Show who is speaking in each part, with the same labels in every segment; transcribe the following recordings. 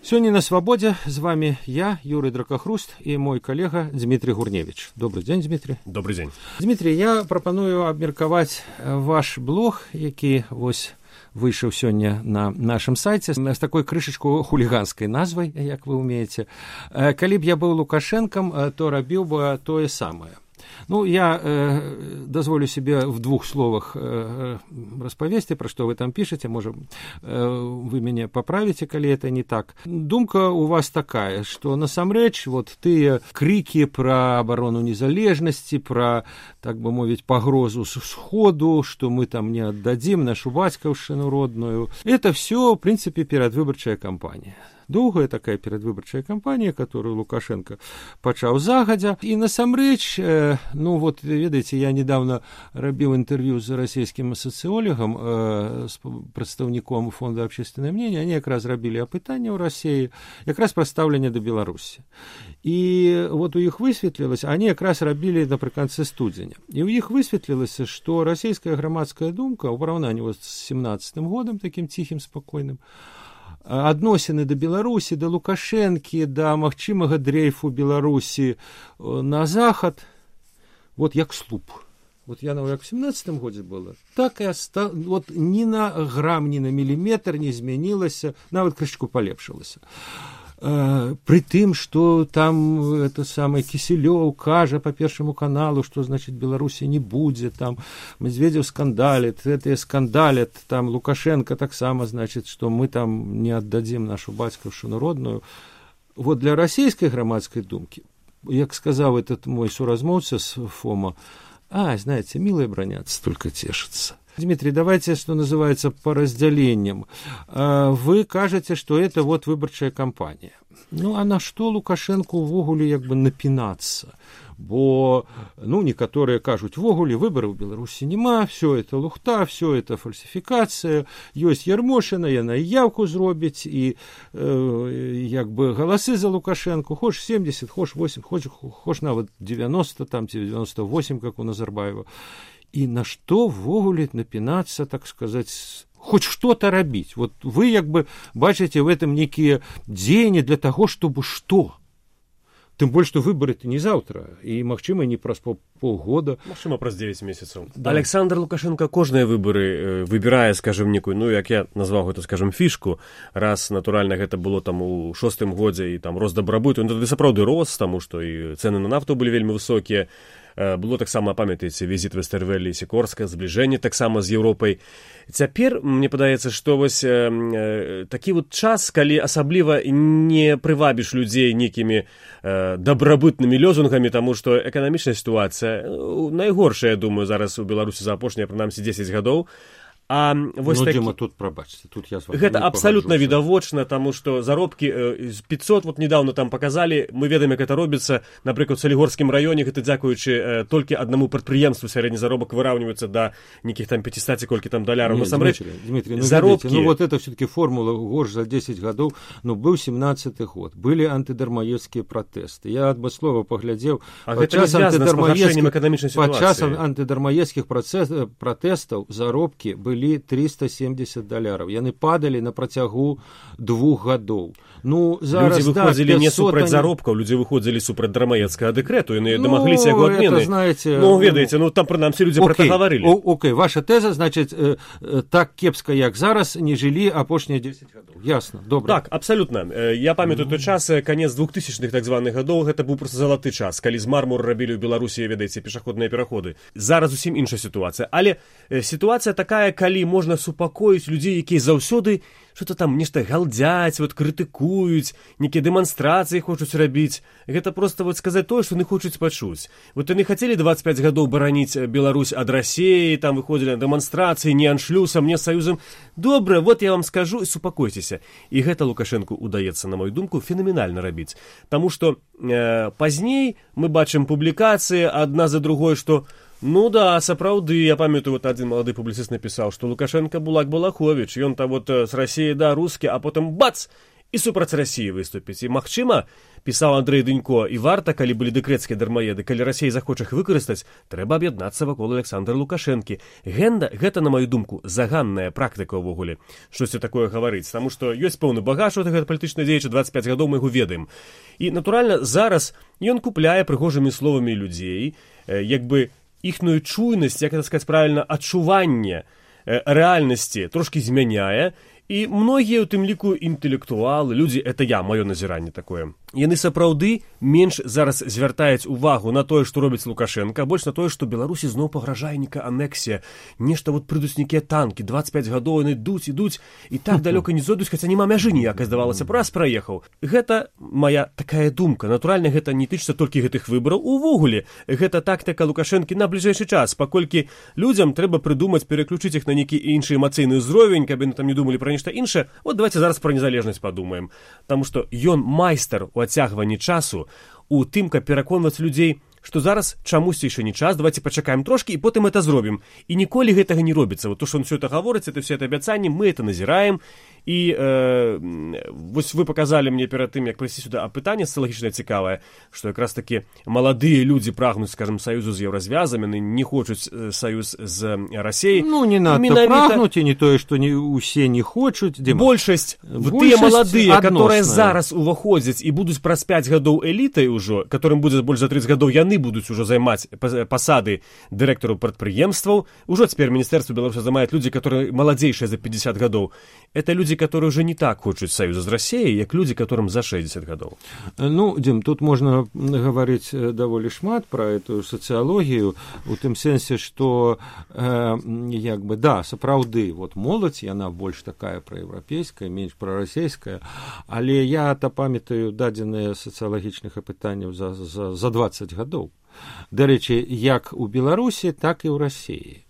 Speaker 1: Сегодня на «Свободе» с вами я, Юрий Дракохруст, и мой коллега Дмитрий Гурневич. Добрый день, Дмитрий.
Speaker 2: Добрый день.
Speaker 1: Дмитрий, я пропоную абмеркаваць ваш блог, які выйшаў сёння на нашым сайце з такой крышачку хуліганскай назвай, як вы умееце. Калі б я быў Лукашэнкам, то рабіў бы тое самае. Ну, я дозволю себе в двух словах распавесці, пра што вы там пішаце, можа, вы мяне паправіце, калі это не так. Думка у вас такая, што насамрэч вот тыя крыкі пра абарону незалежнасці, пра, так бы мовіць, пагрозу з сходу, што мы там не аддадзім нашу бацькаўшчыну родную, это все, в прынцыпе, перадвыбарчая кампанія. Доўгая такая перадвыбарчая кампанія, которую Лукашенко пачаў загадзя. І насамрэч, ну вот, ведаеце, я недавно рабіў інтэрв'ю з расійскім сацыёлагам, з прадстаўніком фонда «Общественное мнение», они якраз рабілі апытанне ў Расіі, якраз пра стаўленне да Беларусі. І вот у іх высветлілася, они якраз рабілі напрыканцы студзеня. І ў іх высветлілася, што расійская грамадская думка ў параўнанні з 17-м годам, такім ціхім, спакойным, адносіны да Беларусі, да Лукашэнкі, да магчымага дрейфу Беларусі на захад, вот як слуп. Вот я, як в 17-м годзе было, так і вот ні на грам, ні на міліметр не змянілася, нават крышку палепшылася. При тым, што там это самае Кісілёў кажа по Першаму каналу, што значыць Беларусі не будзе, там Медведзеў скандалит, гэтыя скандалят, там Лукашенко таксама, значыць, што мы там не аддадзім нашу бацькаўшчыну родную. Вот для расійскай грамадскай думкі, як сказаў этот мой суразмоўца з ФОМа, знаете, милые бронятся, только тешатся. Дмитрий, давайте, что называется, по разделениям. Вы кажете, что это вот выборчая кампания. Ну, а на что Лукашенко увогуле як бы напинаться? Бо, ну, некоторые кажут, вогуле выборы в Беларуси нема, все это лухта, все это фальсификация, есть Ярмошина, яна и явку зробить, и як бы голосы за Лукашенко, хочешь 70, хочешь 8, хочешь нават 90, там 98, как у Назарбаева. И на что вогуле напинаться, так сказать, хоть что-то рабіць. Вот вы як бы бачите в этом некие дзеянні для того, чтобы что? Тым больш, што выборы-то не заўтра, і, магчыма, не праз полгода.
Speaker 2: Магчыма, праз 9 месяцаў.
Speaker 1: Да.
Speaker 2: Александр Лукашенко кожныя выборы выбірае, скажем, некую, ну, як я назваў гэта, скажем, фішку, раз, натуральна, гэта было там у 6-м годзе, і там рост дабрабыту, ну, тады сапраўды рос, таму што і цэны на нафту былі вельмі высокія. Было таксама, памятаеце, візіт Вестэрвэлі і Сікорска, збліжэнне таксама з Еўропай. Цяпер, мне падаецца, што вось такі вот час, калі асабліва не прывабіш людзей нейкімі дабрабытнымі лёзунгамі, таму што эканамічная сітуацыя найгоршая, я думаю, зараз у Беларусі за апошнія, прынамсі, 10 гадоў. А вось
Speaker 1: Дзіма, тут прабачце, тут я з вами
Speaker 2: гэта абсалютна відавочна, таму што заробкі 500, вот недавно там показалі, мы ведаем, як гэта робіцца, напрыклад, у Салігорскім раёне, гэта дзякуючы толькі аднаму прадпрыемству сярэдні заробак выраўніваецца да нейкіх там 500 колькі там даляраў. Насамрэч,
Speaker 1: Дмитрий, ну,
Speaker 2: заробкі...
Speaker 1: ну вот это все-таки формула горш за 10 гадоў, ну быў 17-й год, былі антыдармаедскія пратэсты. Я адба слова паглядзеў,
Speaker 2: падчас
Speaker 1: антыдармаедскіх пратэстаў заробкі былі $370. Яны падалі на працягу 2 гадоў. Ну, зараз,
Speaker 2: людзі выходзілі не супраць заробкаў, людзі выходзілі супраць дармаедскага дэкрэту, яны дамагліся яго адмены.
Speaker 1: Знаете,
Speaker 2: ну, ведаеце, ну, там, прынамсі, людзі пра гэта гаварылі.
Speaker 1: Окей, ваша тэза, значыць, так кепска, як зараз, не жылі апошнія 10 гадоў. Ясна, добра.
Speaker 2: Так, абсалютна. Я памятаю той час, канец 2000-х так званых гадоў, гэта быў проста залаты час, калі з мармуру рабілі ў Беларусі, ведаеце, пешаходныя пераходы. Зараз зусім іншая сітуацыя. Але сітуацыя такая, калі можна супакоіць людзей, якія заўсёды что-то там нешта галдзяць, вот крытыкуюць, нейкія дэманстрацыі хочуць рабіць. Гэта просто вот сказаць тое, што яны хочуць пачуць. Вот яны хацелі 25 гадоў бараніць Беларусь ад Расіі, там выходзілі на дэманстрацыі, не аншлюсам, не саюзам. Добра, вот я вам скажу, і супакойцеся. І гэта Лукашэнку удаецца, на мою думку, фенаменальна рабіць. Таму што пазней мы бачым публікацыі адна за другой, што ну да, сапраўды, я памятаю, вот один малады публіцыст напісаў, што Лукашенко Булак Балахович, ён там вот с Расіі да рускі, а потым бац, і супраць Расіі выступіць. І, магчыма, пісаў Андрэй Дынько, і варта, калі былі дэкрэцкія дармаеды, калі Расія захоча іх выкарыстаць, трэба аб'яднацца вакол Александра Лукашэнкі. Гэта, на маю думку, заганная практыка ўвогуле, штосьці такое гаварыць, таму што ёсць пэўны багаж у гэтага палітычнага дзеяча, 25 гадоў мы яго ведаем. І, натуральна, зараз ён купляе прыгожымі словамі людзей, як бы іхную чуйнасць, як это сказаць правільна, адчуванне рэальнасці трошкі змяняе, і многія, у тым ліку, інтэлектуалы, людзі, это я, маё назіранне такое, яны сапраўды менш зараз звяртаюць увагу на тое, што робіць Лукашенко, а больш на тое, што Беларусі зноў пагражае нейкая анексія, нешта вот прыйдуць нейкія танкі, 25 гадоў яны ідуць, і так далёка не зойдуць, хаця няма мяжы ніякай, здавалася, раз праехаў. Гэта моя такая думка. Натуральна, гэта не тычыцца толькі гэтых выбараў. Увогуле, гэта тактыка Лукашэнкі на бліжэйшы час, паколькі людзям трэба прыдумаць, пераключыць іх на нейкі іншы эмацыйны ўзровень, каб яны там не думалі пра нешта іншае. Вот давайте зараз пра незалежнасць падумаем. Таму што ён майстар у адцягванні часу, у тым, каб пераконваць людзей, што зараз чамусьці яшчэ не час, давайте пачакаем трошкі і потым это зробім. І ніколі гэтага не робіцца. Вот то, што он все это гаворыць, это все это абяцанні, мы это назіраем. І вось вы паказалі мне перад тым, як прыйсці сюда, пытанне сацыялагічнае цікавае, што якраз такі маладыя людзі прагнуць, скажем, саюзу з еўразвязам, яны не хочуць саюз з Расіяй.
Speaker 1: Ну, не надта прагнуць, і не тое, што усе не хочуць.
Speaker 2: Большасць, тыя маладыя, которые зараз уваходзяць і будуць праз 5 гадоў элітай ужо, которым будзе больш за 30 гадоў, яны будуць ужо займаць пасады дырэктараў прадпрыемстваў. Ужо цяпер Міністэрства Беларусі займаюць людзі, которые маладзейшыя за 50 гадоў. Это люди, которые уже не так хочуць саюза з Расіяй, як людзі, которым за 60 гадоў.
Speaker 1: Ну, Дим, тут можна гаварыць даволі шмат пра эту сацыялогію, у тым сэнсе, што як бы, да, сапраўды, вот моладзь, яна больш такая праеўрапейская, менш прарасійская, але я-то памятаю дадзеныя сацыялагічных апытанняў за 20 гадоў. Дарэчы, як у Беларусі, так і ў Расіі.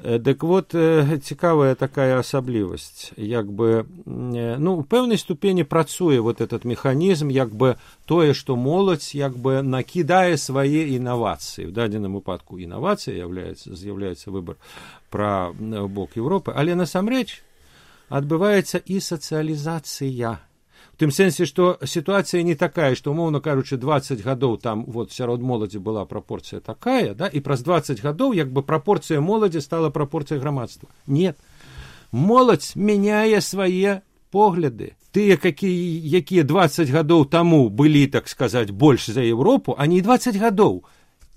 Speaker 1: Дык вот, цікавая такая асаблівасць, як бы, ну, у пэўнай ступені працуе вот этот механізм, як бы тое, што моладзь, як бы накідае свае інавацыі. В дадзеным выпадку інавацыя з'яўляецца выбар пра бок Еўропы, але насамрэч адбываецца і сацыялізацыя. В тым сэнсе, што сітуацыя не такая, што, умоўна кажучы, 20 гадоў там вот сярод моладзі была прапорцыя такая, да, і праз 20 гадоў як бы прапорцыя моладзі стала прапорцыяй грамадства. Нет. Моладзь мяняе свае погляды. Тыя, якія 20 гадоў таму былі, так сказаць, больш за Еўропу, а не 20 гадоў.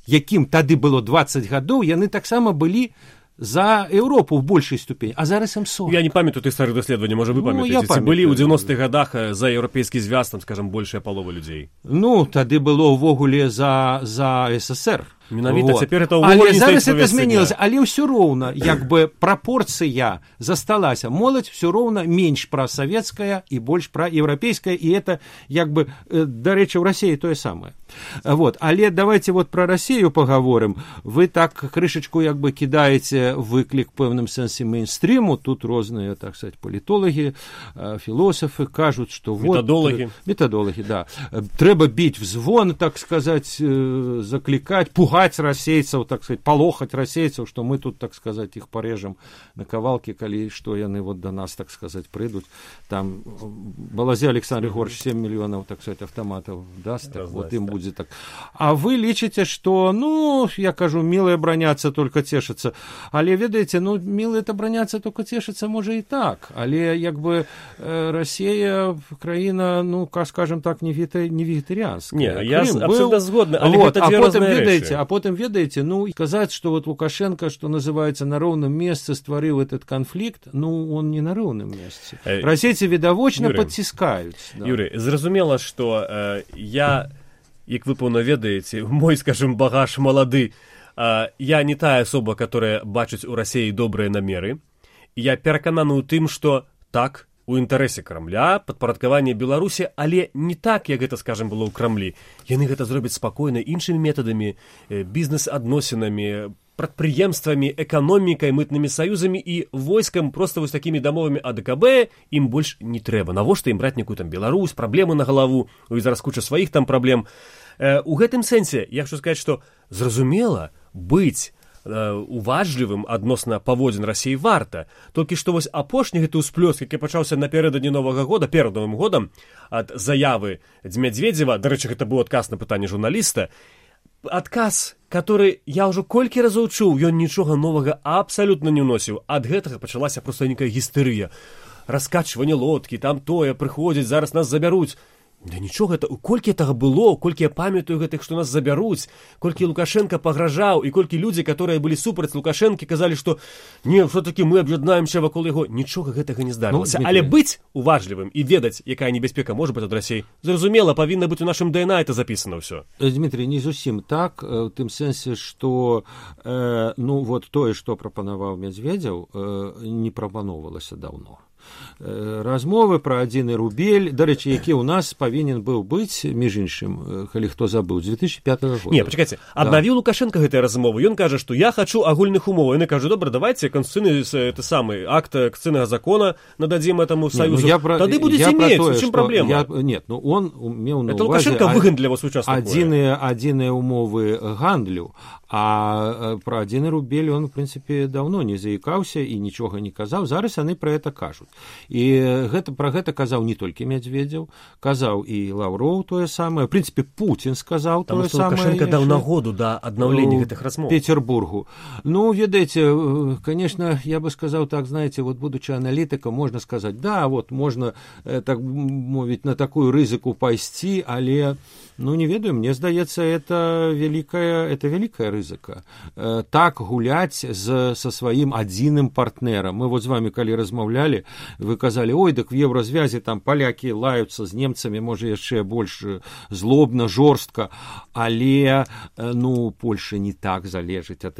Speaker 1: Якім тады было 20 гадоў, яны таксама былі за Еўропу в большай ступені, а зараз ім 40.
Speaker 2: Я не памятаю тых старых даследаванняў, можа вы памятаеце, ці былі ў 90-х гадах за еўрапейскі звяз, там, скажам, большая палова людзей.
Speaker 1: Ну, тады было ўвогуле за СССР.
Speaker 2: Менавіта,
Speaker 1: вот.
Speaker 2: цяпер это ўвогуле не
Speaker 1: зараз это змянілася, але ўсё роўна, як бы прапорцыя засталася. Моладзь ўсё роўна менш прасавецкая і больш праеўрапейская, і это, як бы, дарэчы, ў Расіі тое самае. Вот. Але давайте вот про Расію поговорим. Ви так крышечку як бы кидаете выклик в пэўным сэнсе мейнстріму. Тут розныя, так сказать, політологи, філософы кажут, что
Speaker 2: методологи.
Speaker 1: Вот... Методологи, да. Трэба бить в звон, так сказать, закликать, пугать расейцев, так сказать, полохать расейцев, что мы тут, так сказать, их порежем на кавалки, коли что яны вот до нас, так сказать, придут. Там Балазе Александр Егорович 7 миллионов, так сказать, автоматов даст, так, вот им будет так. А вы лічыце, что, ну, я кажу, милые браняцца, только тешатся. Але, ведаеце, ну, милые-то браняцца, только тешатся, може и так. Але, як бы, Россия, краіна, ну, скажем так, не вегетарианская.
Speaker 2: Не, я абсолютно згодна, але вот, гэта две розныя рэчы.
Speaker 1: А потым, ведаеце, ну, сказаць, что вот Лукашенко, что называется, на роўным месцы стварыў этот конфликт, ну, он не на роўным месцы. Расейцы відавочна подціскаюць.
Speaker 2: Да. Юрий, зразумела, что я... Як вы пэўна ведаеце, мой, скажем, багаж малады, я не тая асоба, которая бачыць у Расіі добрыя намеры. Я перакананы ў тым, што так, у інтарэсе Крамля, падпарадкаванне Беларусі, але не так, як гэта, скажем, было ў Крамлі. Яны гэта зробяць спакойна іншымі метадамі, бізнес-адносінамі, прадпрыемствамі, эканомікай, мытнымі саюзамі і войскам, проста вось такімі дамовамі АДКБ ім больш не трэба. Навошта ім браць некую там Беларусь, праблемы на галаву, і зараз куча сваіх там праблем. У гэтым сэнсе я хочу сказаць, што зразумела, быць уважлівым адносна паводзін Расіі варта. Толькі што вось апошні гэты ўсплёск, які пачаўся напярэдадні Новага года, перад Новым годам, ад заявы Медведзева, дарэчы, гэта быў адказ на пытанне журналіста, адказ, который я ўжо колькі разоў чуў, ён нічога новага абсалютна не ўносіў. Ад гэтага пачалася проста нейкая гістэрыя. Раскачванне лодкі, там тое, прыходзіць, зараз нас забяруць. Да нічога, колькі гэтага было, колькі я памятаю гэтых, што нас забяруць, колькі Лукашенко пагражаў, і колькі людзі, которые былі супраць Лукашэнкі, казалі, што не, все-таки мы аб'яднаемся вакол яго. Нічога гэтага не здарылася. Але быць уважлівым і ведаць, якая небяспека можа быць ад Расіі, зразумела, павінна быць у нашым ДНА это запісана ўсё.
Speaker 1: Дмітрий, не зусім так, у тым сэнсе, што вот тое, што прапанаваў Медведзеў, не прапаноўвалася даўно. Размовы пра адзіны рубель, дарэчы, які ў нас павінен быў быць, між іншым, калі хто забыў, з 2005 года.
Speaker 2: Не, пачакайце, аднавіў Лукашенко гэтыя размовы, ён кажа, што я хачу агульных умоў. Яны кажа, добра, давайте конституцыйны акт конституцыйнага закона нададзім этаму саюзу. Тады будзеце мець, у чым праблема?
Speaker 1: Нет, он меў на
Speaker 2: это
Speaker 1: увазе
Speaker 2: Лукашенко выган для вас участвовать.
Speaker 1: Адзіныя умовы гандлю, а пра адзіны рубель он, в прынцыпе, даўно не заікаўся і нічога не казаў. Зараз яны пра гэта кажуць. І пра гэта казаў не толькі Медведзеў, казаў і Лаўроў тое самае. В прынцыпе, Пуцін сказаў тое самае.
Speaker 2: Лукашенко даў нагоду да аднаўлення гэтых размоў.
Speaker 1: Петербургу. Ну, ведаеце, конечно, я бы сказаў так, знаете, вот будучи аналітыкам, можна сказаць, да, вот можна, так мовіць, на такую рызыку пайсці, але, ну, не ведаю, мне здаецца, это великая рызыка. Так гуляць со сваім адзіным партнерам. Мы вот з вами, калі размаўлялі, вы казалі, ой, дык в еўразвязе там палякі лаюцца з немцамі, можа яшчэ больш злобна, жорстка, але, ну, Польша не так залежыць ад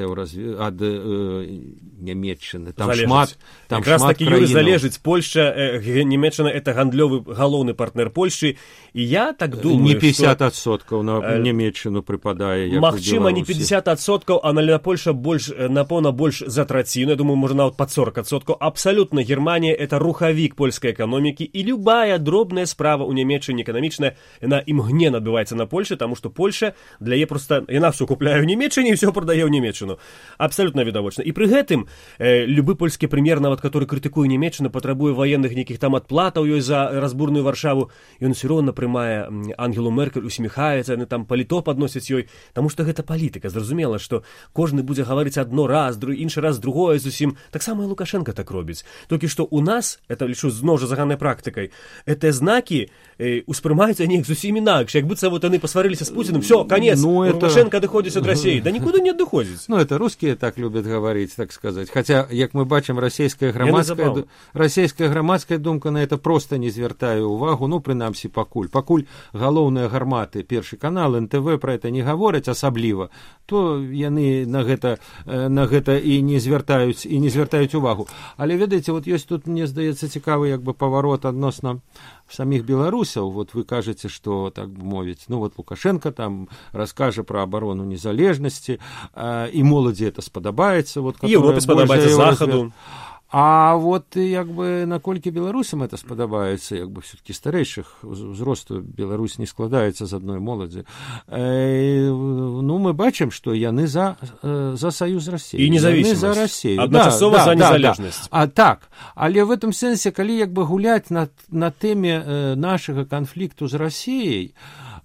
Speaker 1: Нямецчыны. Там шмат
Speaker 2: краінаў. Залежыць Польша, Нямецчына — это гандлёвы галоўны партнер Польши, і я так думаю,
Speaker 1: не 50% на Нямецчыну прыпадае.
Speaker 2: Магчыма, не 50%, а на Польша больш, напэўна, больш за траціну, я думаю, можа нават пад 40%. Абсалютна Германія — это рухавік польскай эканомікі, і любая дробная справа ў Нямецчыне эканамічная, яна імгненна адбываецца на Польше, таму што Польша для яе проста, яна ўсё купляе ў Нямецчыне і ўсё прадае ў Нямецчыну. Абсалютна відавочна. І пры гэтым любы польскі прэм'ер, нават который крытыкуе Нямецчыну, патрабуе ваенных нейкіх там адплатаў ёй за разбурную Варшаву, ён усё роўна прымае Ангелу Меркель, усміхаецца, яны там паліто падносяць ёй, таму што гэта палітыка. Зразумела, што кожны будзе гаварыць адно раз, іншы раз другое зусім. Таксама і Лукашенко так робіць. Толькі што у нас, это лічу зноў жа заганнай практыкай, гэтыя знакі успрымаюцца неяк зусім інакш. Як быццам вот яны пасварыліся з Пуціным, всё, конец, Лукашенко адыходзіць ад Расіі. Да нікуды не адыходзіць.
Speaker 1: Ну, это русские так любят говорить, так сказать. Хотя, як мы бачым, расійская грамадская думка на это просто не звяртае увагу, ну, прынамсі, пакуль. Пакуль галоўныя гарматы, Першы канал, НТВ пра это не гавораць асабліва, то яны на гэта і не звяртаюць увагу. Але, ведаеце, вот ёсць тут, мне здаецца, цікавы як бы паварот адносна самих беларусаў. Вот вы кажаце, што, так бы мовіць, ну, вот Лукашенко там раскажа пра абарону незалежнасці, і моладзі это спадабаецца. Вот,
Speaker 2: Европе спадабаецца, Захаду.
Speaker 1: А вот як бы наколькі беларусам это спадабаецца, як бы все-таки старэйшых узросту Беларусь не складаецца з адной моладзі. Ну, мы бачым, што яны за саюз Расіі.
Speaker 2: І независимость.
Speaker 1: За Расію.
Speaker 2: Адначасова за незалежнасць.
Speaker 1: Так, але в этом сэнсе, калі як бы гуляць на тэме нашага канфлікту з Расіяй,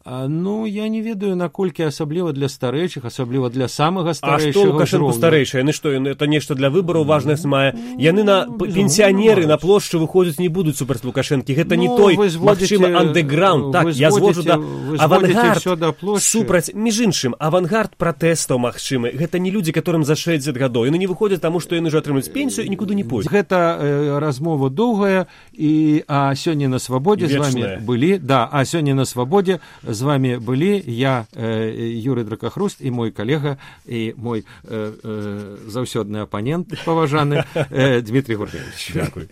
Speaker 1: ну, я не ведаю, наколькі асабліва для старэйшых, асабліва для самага старэйшага.
Speaker 2: А што Лукашенко старэйшы? Яны што, это нешта для выбараў важнасць мае? Яны пенсіянеры на плошчу выходзяць не будуць супраць Лукашэнкі. Гэта не той, магчыма, андэграунд. Так, я зводжу да авангард супраць, між іншым, авангард пратэстаў магчымы. Гэта не людзі, которым за 60 гадоў. Яны не выходзяць, таму што яны ўжо атрымаюць пенсію і нікуды не пойдуць.
Speaker 1: Гэта размова доўгая, а сёння на свабодзе з вами былі, а сёння на свабодзе з вами былі я, Юрый Дракахруст, і мой калега, і мой заўсёдны апанент паважаны Дмітрий Гуркевич.
Speaker 2: Дякую.